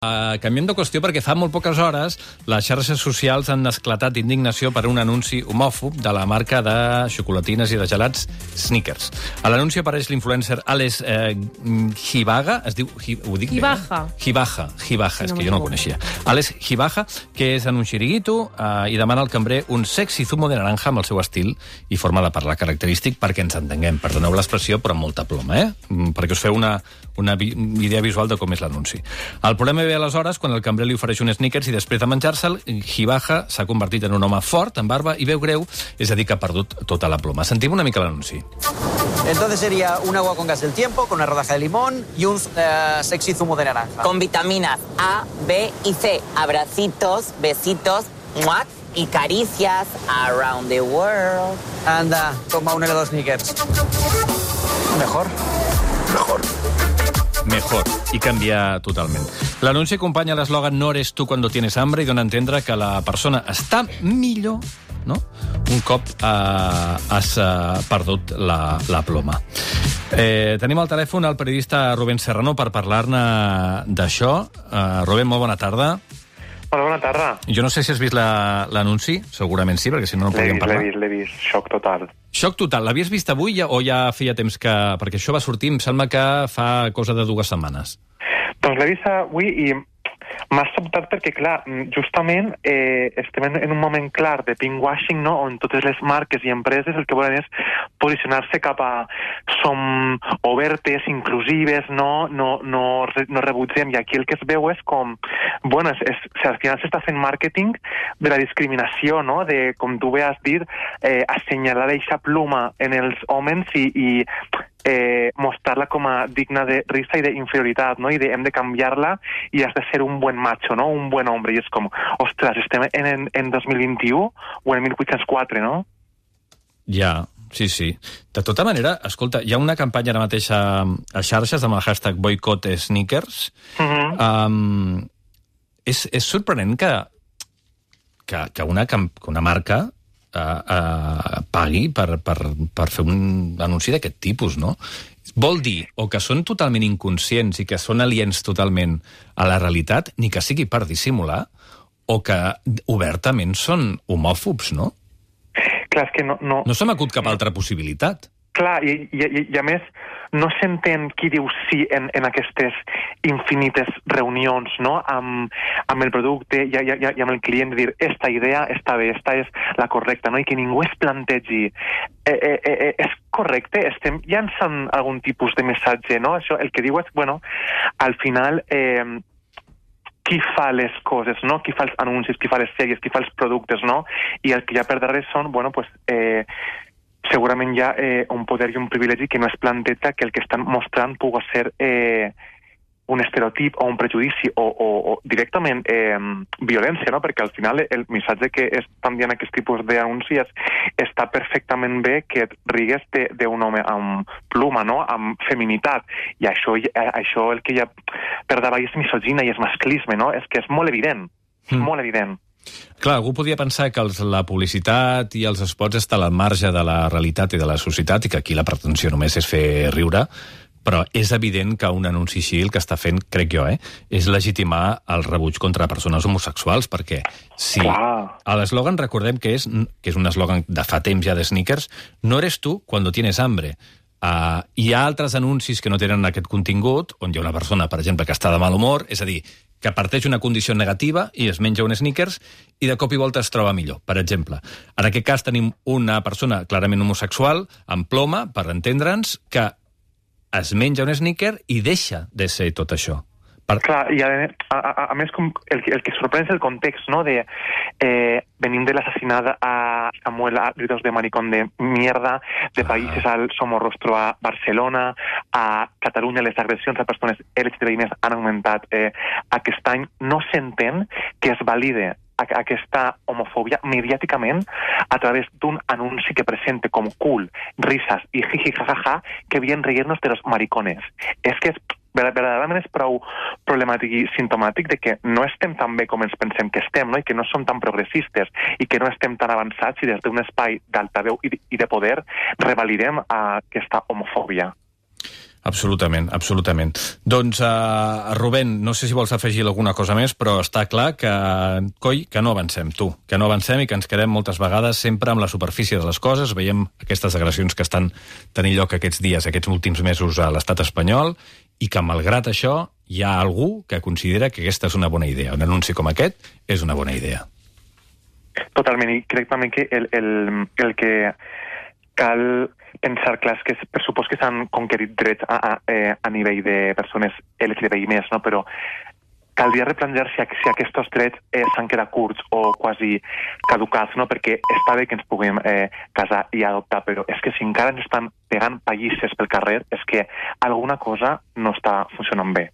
Canviem de qüestió perquè fa molt poques hores les xarxes socials han esclatat d'indignació per un anunci homòfob de la marca de xocolatines i de gelats Snickers. A l'anunci apareix l'influencer Alex Gibaja, es diu... Ho dic Gibaja. Gibaja, és que jo no el coneixia. Alex Gibaja, que és en un xiringuito i demana al cambrer un sexy zumo de naranja amb el seu estil i forma de parlar característic perquè ens entenguem. Perdoneu l'expressió, però amb molta ploma, perquè us feu una idea visual de com és l'anunci. El problema ve aleshores quan el cambrer li ofereix un Snickers i després de menjar-se'l, Gibaja s'ha convertit en un home fort, amb barba i veu greu, és a dir, que ha perdut tota la ploma. Sentim una mica l'anunci. Entonces sería un agua con gas del tiempo, con una rodaja de limón y un sexy zumo de naranja. Con vitaminas A, B y C. Abracitos, besitos, ¡muac! Y caricias around the world. Anda, toma un helado Snickers. Mejor. Mejor, i canvia totalment. L'anunci acompanya l'eslògan "No eres tú cuando tienes hambre" i dona a entendre que la persona està millor, no?, un cop has perdut la ploma. Tenim al telèfon el periodista Rubén Serrano per parlar-ne d'això. Rubén, molt bona tarda. Hola, bona tarda. Jo no sé si has vist l'anunci, segurament sí, perquè si no podríem parlar. L'he vist, xoc total. Xoc total. L'havies vist avui o ja feia temps que... Perquè això va sortir, em sembla que fa cosa de 2 setmanes. Doncs l'he vist avui i m'ha sobtat perquè, clar, justament estem en un moment clar de pinkwashing, no?, on totes les marques i empreses el que volen és posicionar-se cap a som obertes, inclusives, no rebutgem. I aquí el que es veu és com, bueno, al final s'està fent màrqueting de la discriminació, no?, de, com tu bé has dit, assenyalar aquesta pluma en els homes i mostrar-la com a digna de risa i d'inferioritat, no?, i hem de canviar-la i has de ser un buen macho, no?, un buen hombre. I és com, ostres, estem en 2021 o en 1804, no? Ja, sí. De tota manera, escolta, hi ha una campanya ara mateix a xarxes amb el hashtag boicot Snickers. És sorprenent que una marca pagui per fer un anunci d'aquest tipus, no? Vol dir o que són totalment inconscients i que són aliens totalment a la realitat, ni que sigui per dissimular, o que obertament són homòfobs, no? Clar, és que no... No se m'acut cap altra possibilitat. Clar, i a més, no s'entén qui diu sí en aquestes infinites reunions, no?, amb el producte i amb el client, de dir, esta idea està bé, esta és la correcta, no?, i que ningú es plantegi és correcte, estem llançant algun tipus de missatge, no? Això, el que diu és, bueno, al final... qui fa les coses, no?, qui fa els anuncis, qui fa les sèries, qui fa els productes, no?, i el que hi ha per darrere són, bueno, pues... segurament hi ha un poder i un privilegi que no es planteja que el que estan mostrant pugui ser un estereotip o un prejudici o directament violència, no? Perquè al final el missatge que estan dient aquest tipus d'anuncis està perfectament bé que et rigues d'un home amb pluma, no?, amb feminitat. I això el que hi ha per davall és misogina i és masclisme, no? És que és molt evident, molt evident. Clar, algú podia pensar que la publicitat i els spots estan al marge de la realitat i de la societat i que aquí la pretensió només és fer riure, però és evident que un anunci així el que està fent, crec jo, és legitimar el rebuig contra persones homosexuals, perquè si l'eslògan, recordem que és un eslògan de fa temps ja de Snickers, no eres tu cuando tienes hambre. Hi ha altres anuncis que no tenen aquest contingut, on hi ha una persona, per exemple, que està de mal humor, és a dir, que parteix una condició negativa i es menja un Snickers i de cop i volta es troba millor, per exemple. En aquest cas tenim una persona clarament homosexual, amb ploma, per entendre'ns, que es menja un Snickers i deixa de ser tot això. Clar, i a més el que sorprèn és el context, no?, de venim de l'assassinat a Samuel a gritos de maricón de mierda, de països al Somorrostro a Barcelona, a Catalunya les agressions a persones LGTBI han augmentat aquest any. No s'entén que es valide aquesta homofòbia mediàticament a través d'un anunci que presenta com cool, risas i jiji jajaja que bien reírnos de los maricones. És que verdaderament és prou problemàtic i simptomàtic de que no estem tan bé com ens pensem que estem, no?, i que no som tan progressistes i que no estem tan avançats i des d'un espai d'altaveu i de poder revalidem aquesta homofòbia. Absolutament, absolutament. Doncs, Rubén, no sé si vols afegir alguna cosa més, però està clar que, coi, que no avancem, que no avancem i que ens quedem moltes vegades sempre amb la superfície de les coses. Veiem aquestes agressions que estan tenint lloc aquests dies, aquests últims mesos a l'estat espanyol, i que, malgrat això, hi ha algú que considera que aquesta és una bona idea. Un anunci com aquest és una bona idea. Totalment, i crec també que el que cal pensar, clar, és que per supòs que s'han conquerit drets a nivell de persones LGTBI+, no? Però caldria replantejar si aquests drets s'han quedat curts o quasi caducats, no? Perquè està bé que ens puguem casar i adoptar, però és que si encara ens estan pegant pallisses pel carrer, és que alguna cosa no està funcionant bé.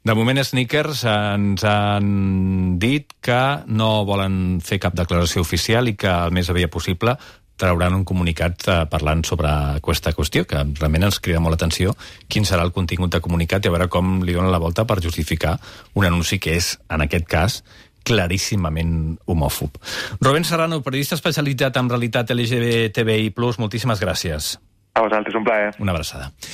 De moment, Snickers ens han dit que no volen fer cap declaració oficial i que el més aviat possible trauran un comunicat parlant sobre aquesta qüestió, que realment ens crida molt l'atenció quin serà el contingut de comunicat i a veure com li donen la volta per justificar un anunci que és, en aquest cas, claríssimament homòfob. Rubén Serrano, periodista especialitzat en realitat LGBTBI+, moltíssimes gràcies. A vosaltres, un plaer. Una abraçada.